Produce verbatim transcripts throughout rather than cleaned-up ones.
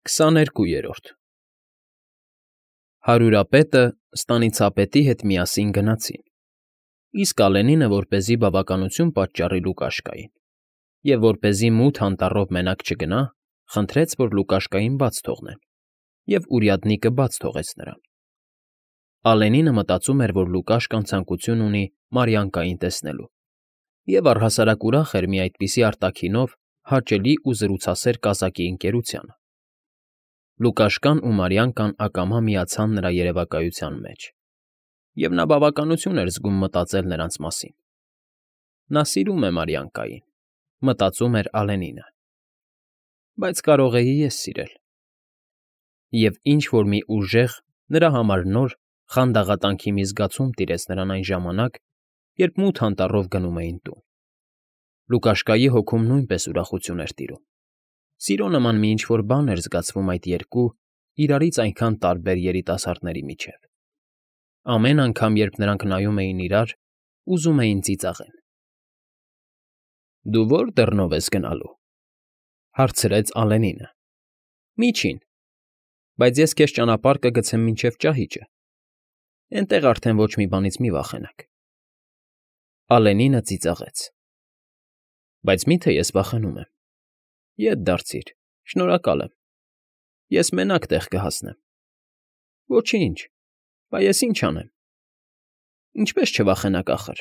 Քսաներկուերորդ Հարյուրապետը ստանիցապետի հետ միասին գնացին, իսկ Ալենինը, որպեսզի բավականություն պատճառի Լուկաշկային և որպեսզի մութ անտառով մենակ չգնա, խնդրեց, որ Լուկաշկային բաց թողնեն, և уряднիկը բաց թողեց նրան։ Ալենինը մտածում էր, որ Լուկաշկան ցանկություն ունի Մարիանկային տեսնելու, և առհասարակ ուրախ էր մի այդպիսի արտաքինով հաճելի ու զրուցասեր կազակի ընկերությանը։ Լուկաշկան ու Մարիանկան ակամա միացան նրա երևակայության մեջ, և նա բավականություն էր զգում մտածել նրանց մասին։ Նա սիրում է Մարիանկային, մտածում էր Ալենինը, բայց կարող էի ես սիրել։ Եվ ինչ֊որ մի ուժեղ, նրա համար նոր, խանդաղատանքի մի զգացում տիրեց նրան այն ժամանակ, երբ մութ անտառով գնում էին տուն։ Լուկաշկայի հոգում նույնպես ուրախություն էր տիրում։ Սիրո նման մի ինչ֊որ բան էր զգացվում այդ երկու, իրարից այնքան տարբեր երիտասարդների միջև։ Ամեն անգամ, երբ նրանք նայում էին իրար, ուզում էին ծիծաղել։ ֊ Դու ո՞ր դռնով ես գնալու,֊ հարցրեց Ալենինը։ ֊ Միջին, բայց ես քեզ ճանապարհ կգցեմ մինչև ճահիճը, էնտեղ արդեն ոչ մի բանից մի վախենաք։ Ալենինը ծիծաղեց։ ֊ Բայց մի՞թե ես վախենում եմ։ Ետ դարձիր, շնորհակալ եմ, ես մենակ տեղ կհասնեմ։ ֊ Ոչինչ, բա ես ինչ անեմ։ ֊ Ինչպես չվախենաք, ախըր։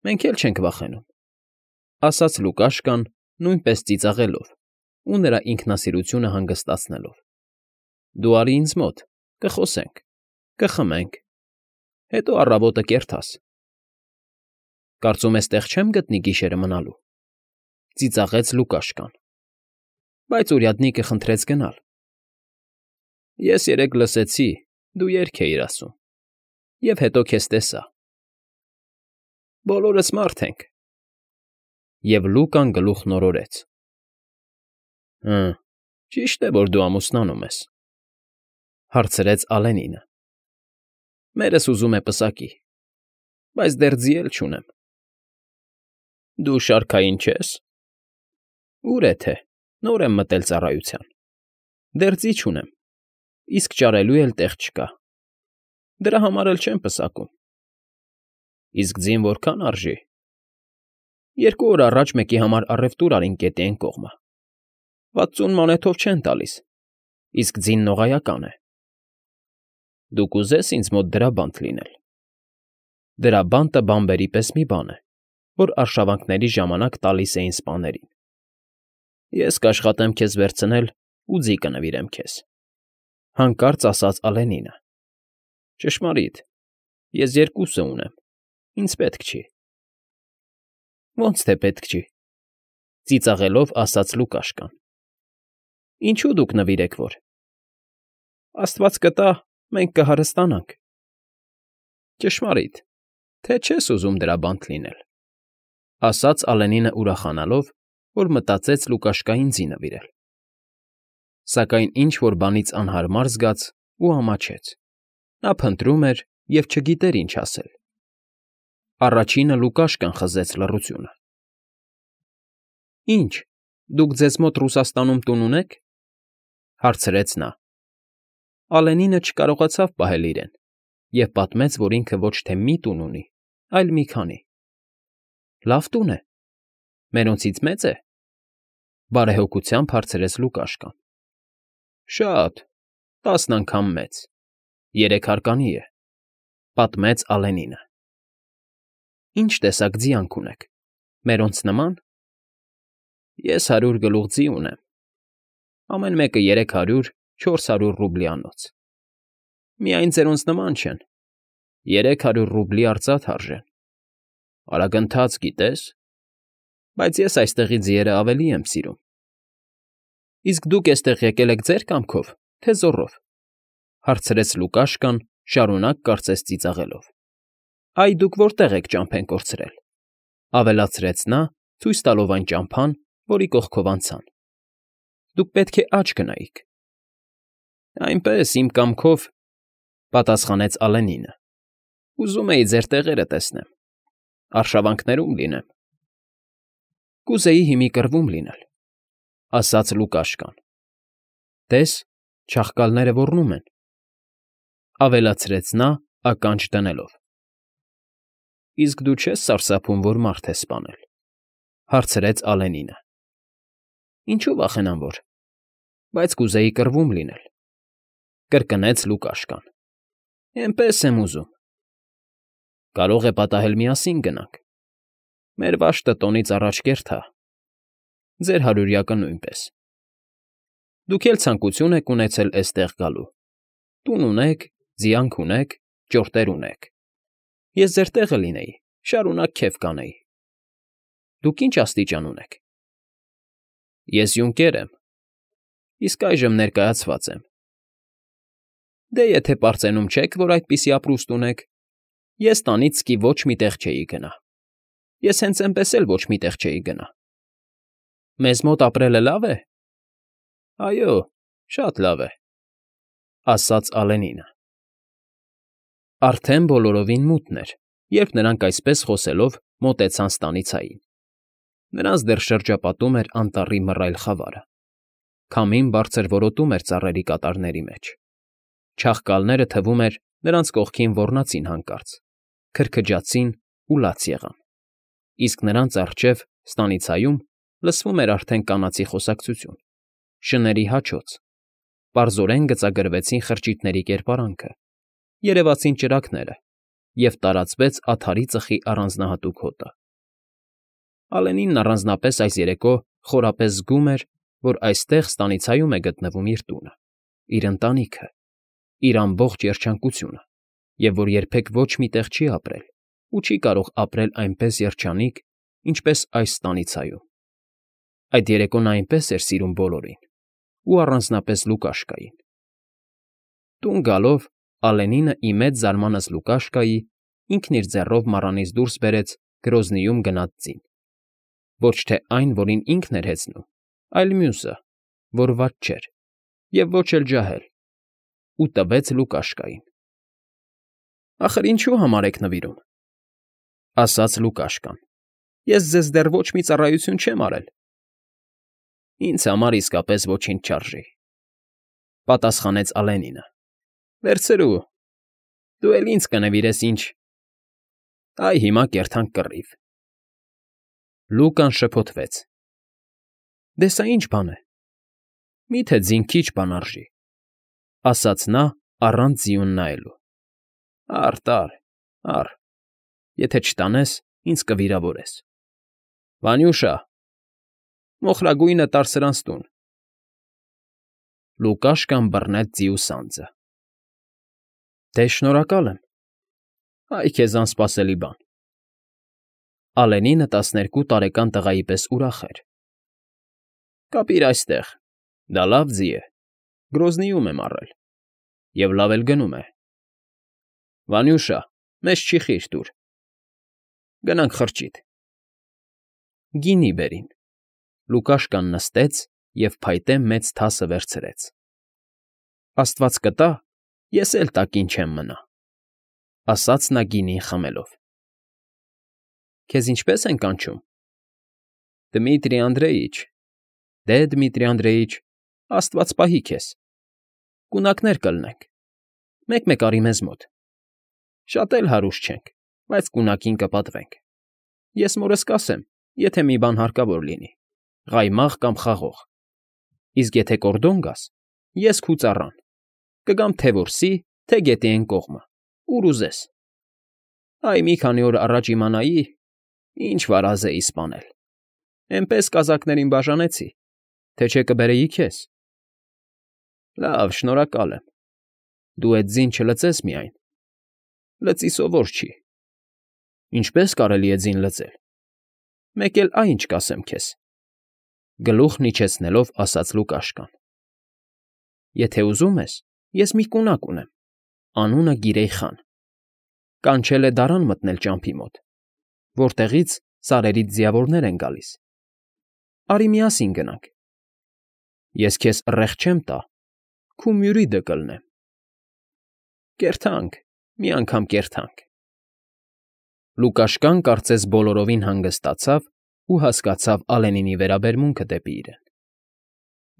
Մենք էլ չենք վախենում,֊ ասաց Լուկաշկան, նույնպես ծիծաղելով ու նրա ինքնասիրությունը հանգստացնելով։ ֊ Դու արի ինձ մոտ, կխոսենք, կխմենք, հետո առավոտը կերթաս։ ֊ Կարծում ես տեղ չեմ գտնի գիշերը մնալու,֊ ծիծաղեց Լուկաշկան։ Բայց уряднիկը խնդրեց գնալ։ ֊ Ես երեկ լսեցի, դու երգ էիր ասում, և հետո քեզ տեսա։ ֊ Բոլորս մարդ ենք։ Եվ Լուկան գլուխն օրորեց։ ֊ Հը, ճիշտ է, որ դու ամուսնանում ես,֊ հարցրեց Ալենինը։ ֊ Մերս ուզում է պսակի, բայց դեռ ձի էլ չունեմ։ ֊ Դու շարքային չե՞ս։ ֊ Ուր է թե, նոր եմ մտել ծառայության, դեռ ձի չունեմ, իսկ ճարելու էլ տեղ չկա, դրա համար էլ չեմ պսակում։ ֊ Իսկ ձին որքա՞ն արժի։ ֊ Երկու օր առաջ մեկի համար առևտուր արինք Գետի Էն կողմը, վաթսուն մոնեթով չեն տալիս, իսկ ձին նողայական է։ ֊ Դու կուզե՞ս ինձ մոտ դրաբանդ լինել։ ֊ Դրաբանտը բանբերի պես մի բան է, որ արշավանքների ժամանակ տալիս էին սպաներին։ Ես կաշխատեմ քեզ վերցնել ու ձի կնվիրեմ քեզ,֊ հանկարծ ասաց Ալենինը։ ֊ Ճշմարիտ, ես երկուսը ունեմ, ինձ պետք չի։ ֊ Ոնց թե պետք չի,֊ ծիծաղելով ասաց Լուկաշկան։ ֊ Ինչո՞ւ դուք նվիրեք որ։ ֊ Աստված կտա, մենք կհարստանանք։ ֊ Ճշմարիտ, թե չես ուզում դրաբանդ լինել,֊ ասաց Ալենինը ուրախանալով, որ մտածեց Լուկաշկային ձի նվիրել։ Սակայն ինչ֊որ բանից անհարմար զգաց ու ամաչեց։ Նա փնտրում էր և չգիտեր ինչ ասել։ Առաջինը Լուկաշկան խզեց լռությունը։ ֊ Ի՞նչ, դուք ձեզ մոտ Ռուսաստանում տուն ունե՞ք,֊ հարցրեց նա։ Ալենինը չկարողացավ պահել իրեն և պատմեց, որ ինքը ոչ թե մի տուն ունի, այլ մի քանի։ ֊ Լավ տուն է։ Մերոնցից մե՞ծ է,֊ բարեհոգությամբ հարցրեց Լուկաշկան։ ֊ Շատ, տասն անգամ մեծ, երեք հարկանի է,֊ պատմեց Ալենինը։ ֊ Ի՞նչ տեսակ ձիանք ունեք, մերոնց նմա՞ն։ ֊ Ես հարյուր գլուխ ձի ունեմ, ամեն մեկը երեք հարյուր, չորս հարյուր ռուբլիանոց։ Միայն ձերոնց նման չեն, երեք հարյուր ռուբլի արծաթ արժեն։ Արագընթաց, գիտե՞ս, բայց ես այստեղի ձիերը ավելի եմ սիրում։ ֊ Իսկ դուք էստեղ եկել եք ձեր կամքով, թե զոռով,֊ հարցրեց Լուկաշկան, շարունակ կարծես ծիծաղելով։ ֊ Այ դուք որտե՞ղ եք ճամփեն կորցրել,֊ ավելացրեց նա, ցույց տալով այն ճամփան, որի կողքով անցան։ ֊ Դուք պետք է աջ գնայիք։ ֊ Այնպես, իմ կամքով,֊ պատասխանեց Ալենինը,֊ ուզում էի ձեր տեղերը տեսնեմ, արշավանքներում լինեմ։ ֊ Կուզեի հիմի կռվում լինել,֊ ասաց Լուկաշկան։ Տես, չաղկալները ոռնում են,֊ ավելացրեց նա ականջ դնելով։ ֊ Իսկ դու չե՞ս սարսափում, որ մարդ ես սպանել,֊ հարցրեց Ալենինը։ ֊ Ինչու վախենամ որ, բայց կուզեի կռվում լինել,֊ կրկնեց Լուկաշկան։ ֊ Էնպես եմ ուզում։ ֊ Կարող է պատահել միասին գնանք, մեր վաշտը տոնից առաջ կերտ հա, ձեր հարյուրյակը նույնպես։ Դուք էլ ցանկություն եք ունեցել էստեղ գալու, տուն ունեք, ձիանք ունեք, ճորտեր ունեք, ես ձեր տեղը լինեի, շարունակ քեֆ կանեի։ Դուք ի՞նչ աստիճան ունեք։ ֊ Ես յունկեր եմ, իսկ այժմ ներկայացված եմ։ ֊ Դե եթե պարծենում չեք, որ այդպիսի ապրուստ ունեք, ես տանից սկի ոչ մի տեղ չէի գնա, ես հենց էնպես էլ ոչ մի տեղ չէի գնա։ ֊ Մեզ մոտ ապրելը լավ է։ ֊ Այո, շատ լավ է,֊ ասաց Ալենինը։ Արդեն բոլորովին մութն էր, երբ նրանք այսպես խոսելով մոտեցան ստանիցային. նրանց դեռ շրջապատում էր անտառի մռայլ խավարը, քամին բարձր որոտում էր ծառերի կատարների մեջ, չաղկալները, թվում էր, նրանց կողքին ոռնացին հանկարծ, քրքջացին ու լաց եղան, իսկ նրանց առջև, ստանիցայում, լսվում էր արդեն կանացի խոսակցություն, շների հաչոց, պարզորեն գծագրվեցին խրճիթների կերպարանքը, երևացին ճրագները և տարածվեց ադարի ծխի առանձնահատուկ հոտը։ Ալենինն առանձնապես այս երեկո խորապես զգում էր, որ այստեղ ստանիցայում է գտնվում իր տունը, իր ընտանիքը, իր ամբողջ երջանկությունը, և որ երբեք ոչ մի տեղ չի ապրել ու չի կարող ապրել այնպես երջանիկ, ինչպես այս ստանիցայում։ Այդ երեկո նա այնպես էր սիրում բոլորին, ու առանձնապես Լուկաշկային։ Տուն գալով Ալենինը ի մեծ զարմանս Լուկաշկայի ինքն իր ձեռով մառանից դուրս բերեց գրոզնիում գնած ձին, ոչ թե այն, որին ինքն էր հեծնում, այլ մյուսը, որ վատ չէր և ոչ էլ ջահել, ու տվեց Լուկաշկային։ ֊ Ախր ինչու համար եք նվիրում,֊ ասաց Լուկաշկան,֊ ես ձեզ դեռ ոչ մի ծառայություն չեմ արել։ ֊ Ինձ համար իսկապես ոչինչ չարժի,֊ պատասխանեց Ալենինը։ ֊ Վերցրու, դու էլ ինձ կնվիրես ինչ… Այ հիմա կերթանք կռիվ։ Լուկան շփոթվեց. «Դե սա ի՞նչ բան է։ Մի՞թե ձին քիչ բան արժի,֊ ասաց նա առանց ձիուն նայելու։ ֊ Առ, տար, առ, եթե չտանես, ինձ կվիրավորես։ Վանյուշա, մոխրագույնը տար սրանց տուն։ Լուկաշկան բռնեց ձիու սանձը։ ֊ Դե, շնորհակալ եմ, այ քեզ անսպասելի բան։ Ալենինը տասներկու տարեկան տղայի պես ուրախ էր։ ֊ Կապիր այստեղ, դա լավ ձի է, Գրոզնիում եմ առել, և լավ էլ գնում է։ Վանյուշա, մեզ չի խիր տուր։ Գնանք խրճիթ։ Գինի բերին։ Լուկաշկան նստեց և փայտե մեծ թասը վերցրեց։ ֊ Աստված կտա, ես էլ տակին չեմ մնա,֊ ասաց նա գինին խմելով։ ֊ Քեզ ինչպե՞ս են կանչում։ ֊ Դմիտրի Անդրեիչ։ Դե, Դմիտրի Անդրեիչ, աստված պահի քեզ։ Կունակներ կլինենք, մեկ֊մեկ արի մեզ մոտ։ Շատ էլ հարուստ չենք, բայց կունակին կպատվենք։ Ես մորս կասեմ, եթե մի բան հարկավոր լինի, ղայմաղ կամ խաղող, իսկ եթե կորդոն գաս, ես քու ծառան, կգամ թե որսի, թե գետի էն կողմը, ուր ուզես։ Այ մի քանի օր առաջ իմանայի, ինչ վարազ էի սպանել, էնպես կազակներին բաժանեցի, թե չէ կբերեի քեզ։ ֊ Լավ, շնորհակալ եմ, դու էդ ձին չլծես միայն, լծի սովոր չի։ ֊ Ինչպե՞ս կարելի է ձին լծել։ ֊ Մեկ էլ ա՜յ ինչ կասեմ քեզ,֊ գլուխն իջեցնելով ասաց Լուկաշկան։ ֊ Եթե ուզում ես, ես մի կունակ ունեմ, անունը Գիրեյ խան, կանչել է դարան մտնել ճամփի մոտ, որտեղից սարերից ձիավորներ են գալիս։ Արի միասին գնանք։ Ես քեզ ուռեղ չեմ տա, քու մյուրիդը կլնեմ։ Կերթանք, մի անգամ կերթանք։ Լուկաշկան կարծես բոլորովին հանգստացավ ու հասկացավ Ալենինի վերաբերմունքը դեպի իրեն։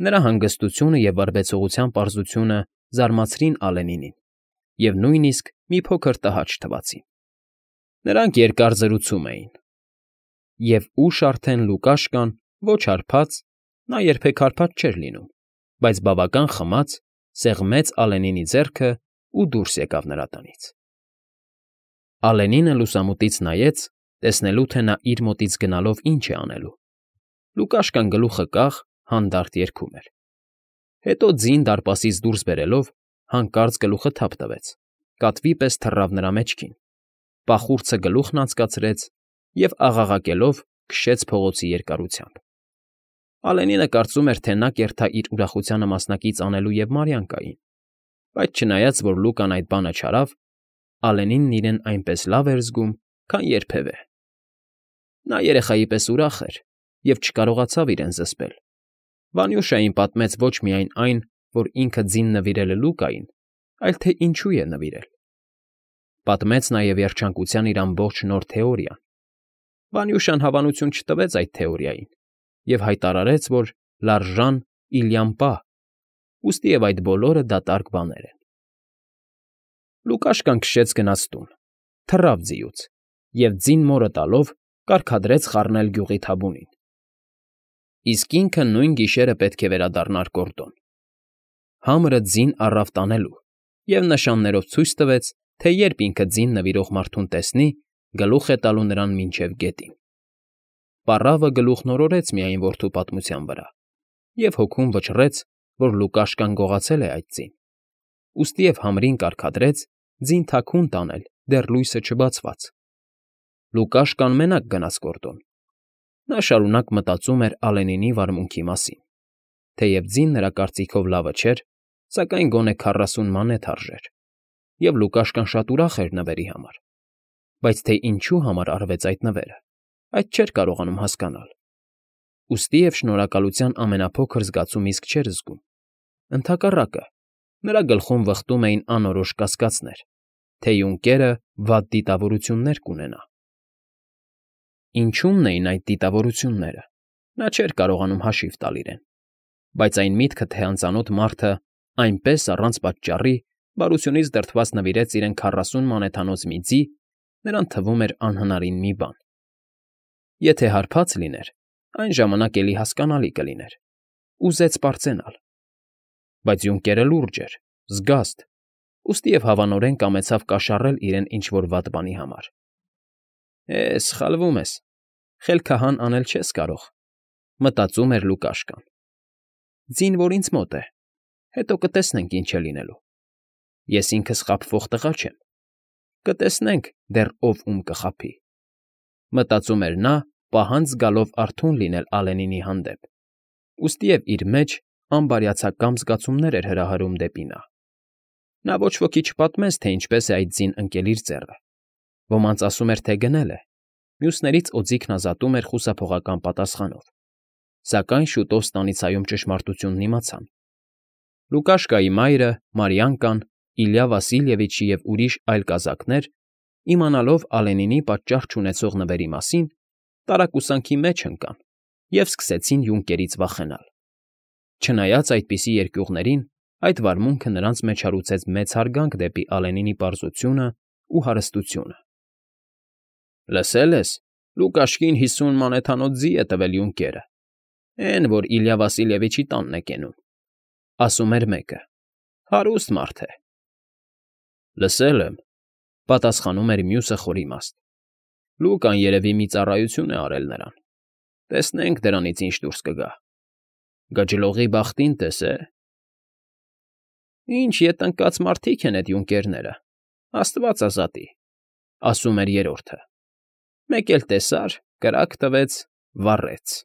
Նրա հանգստությունը և վարվեցողության պարզությունը զարմացրին Ալենինին և նույնիսկ մի փոքր տհաճ թվացին։ Նրանք երկար զրուցում էին, և ուշ արդեն Լուկաշկան, ոչ հարբած (նա երբեք հարբած չէր լինում), բայց բավական խմած, սեղմեց Ալենինի ձեռքը ու դուրս եկավ նրա տնից։ Ալենինը լուսամուտից նայեց, տեսնելու, թե նա իր մոտից գնալով ինչ է անելու։ Լուկաշկան գլուխը կախ, հանդարտ երգում էր։ Հետո ձին դարպասից դուրս բերելով, հանկարծ գլուխը թափ տվեց, կատվի պես թռավ նրա մեջքին, պախուրձը գլուխն անցկացրեց և, աղաղակելով, քշեց փողոցի երկարությամբ։ Ալենինը կարծում էր, թե նա կերթա իր ուրախությանը մասնակից անելու և Մարիան կային, բայց չնայած, որ Լուկան այդ բանը չարավ, Ալենինն իրեն այնպես լավ էր զգում, քան երբևէ։ Նա երեխայի պես ուրախ էր և չկարողացավ իրեն զսպել։ Վանյուշային պատմեց ոչ միայն այն, որ ինքը ձին նվիրել է Լուկային, այլ թե ինչու է նվիրել։ Պատմեց նաև երջանկության իր ամբողջ նոր թեորիան։ Վանյուշան հավանություն չտվեց այդ թեորիային և հայտարարեց, որ լարժան իլյամպա, ուստիև այդ բոլորը դատարկ բաներ են։ Լուկաշկան քշեց գնաց տուն, թռավ ձիուց և, ձին մորը տալով, կարգադրեց խառնել գյուղի թաբունին։ Իսկ ինքը նույն գիշերը պետք է վերադառնար գորդոն։ Համրը ձին առավ տանելու և նշաններով ցույց տվեց, թե երբ ինքը ձին նվիրող մարդուն տեսնի, գլուխ է տալու նրան մինչև գետին։ Պառավը գլուխն օրորեց միայն որդու պատմության վրա և հոգում վճռեց, որ Լուկաշկան գողացել է այդ ձին, ուստիև համրին կարգադրեց ձին թաքուն տանել, դեռ լույսը չբացված։ Լուկաշկան մենակ գնաց գորդոն։ Նա շարունակ մտածում էր Ալենինի վարմունքի մասին։ Թեև ձին նրա կարծիքով լավը չէր, սակայն գոնե քառասուն մանեթ արժեր, և Լուկաշկան շատ ուրախ էր նվերի համար։ Բայց թե ինչու համար արվեց այդ նվերը, այդ չէր կարողանում հասկանալ։ Ուստիև շնորհակալության ամենափոքր զգացում իսկ չէր զգում։ Ընդհակառակը, նրա գլխում վխտում էին անորոշ կասկածներ, թե յունկերը վատ դիտավորություններ կունենա։ Ինչո՞ւմն էին այդ դիտավորությունները, նա չէր կարողանում հաշիվ տալ իրեն, բայց այն միտքը, թե անծանոթ մարդը այնպես առանց պատճառի բարությունից դրդված նվիրեց իրեն քառասուն մանեթանոց մի ձի, նրան թվում էր անհնարին մի բան։ Եթե հարբած լիներ, այն ժամանակ էլի հասկանալի կլիներ, ուզեց պարծենալ։ Բայց յունկերը լուրջ էր, զգաստ, ուստիև հավանորեն կամեցավ կաշառել իրեն ինչ֊որ վատ բանի համար։ «Է, սխալվում ես, խելքահան անել չես կարող», մտածում էր Լուկաշկան։ «Ձին, որ ինձ մոտ է, հետո կտեսնենք ինչ է լինելու։ Ես ինքս խաբվող տղա չեմ, կտեսնենք դեռ ով ում կխաբի», մտածում էր նա, պահանջ զգալով արթուն լինել Ալենինի հանդեպ, ուստիև իր մեջ անբարյացակամ զգացումներ էր հրահրում դեպի նա։ Նա ոչ ոքի չպատմեց, թե ինչպես է այդ ձին ընկել իր ձեռը։ Ոմանց ասում էր, թե գնել է, մյուսներից օձիքն ազատում էր խուսափողական պատասխանով։ Սակայն շուտով ստանիցայում ճշմարտությունն իմացան։ Լուկաշկայի մայրը, Մարիանկան, Իլյա Վասիլևիչը և ուրիշ այլ կազակներ, իմանալով Ալենինի պատճառ չունեցող նվերի մասին, տարակուսանքի մեջ ընկան և սկսեցին յունկերից վախենալ։ Չնայած այդպիսի երկյուղներին, այդ վարմունքը նրանց մեջ հարուցեց մեծ հարգանք դեպի Ալենինի պարզությունն ու հարստությունը։ «Լսել ես, Լուկաշկին հիսուն մանեթանոց ձի է տվել յունկերը, էն, որ Իլյա Վասիլևիչի տանն է կենում», ասում էր մեկը։ «Հարուստ մարդ է»։ «Լսել եմ», պատասխանում էր մյուսը խորիմաստ։ «Լուկան երևի մի ծառայություն է արել նրան։ Տեսնենք դրանից ինչ դուրս կգա։ Գջլողի բախտին տես է»։ «Ինչ ետ ընկած մարդիկ են էդ յունկերները, աստված ազատի», ասում էր երրորդը։ «Մեկ էլ տեսար, կրակ տվեց, վառեց»։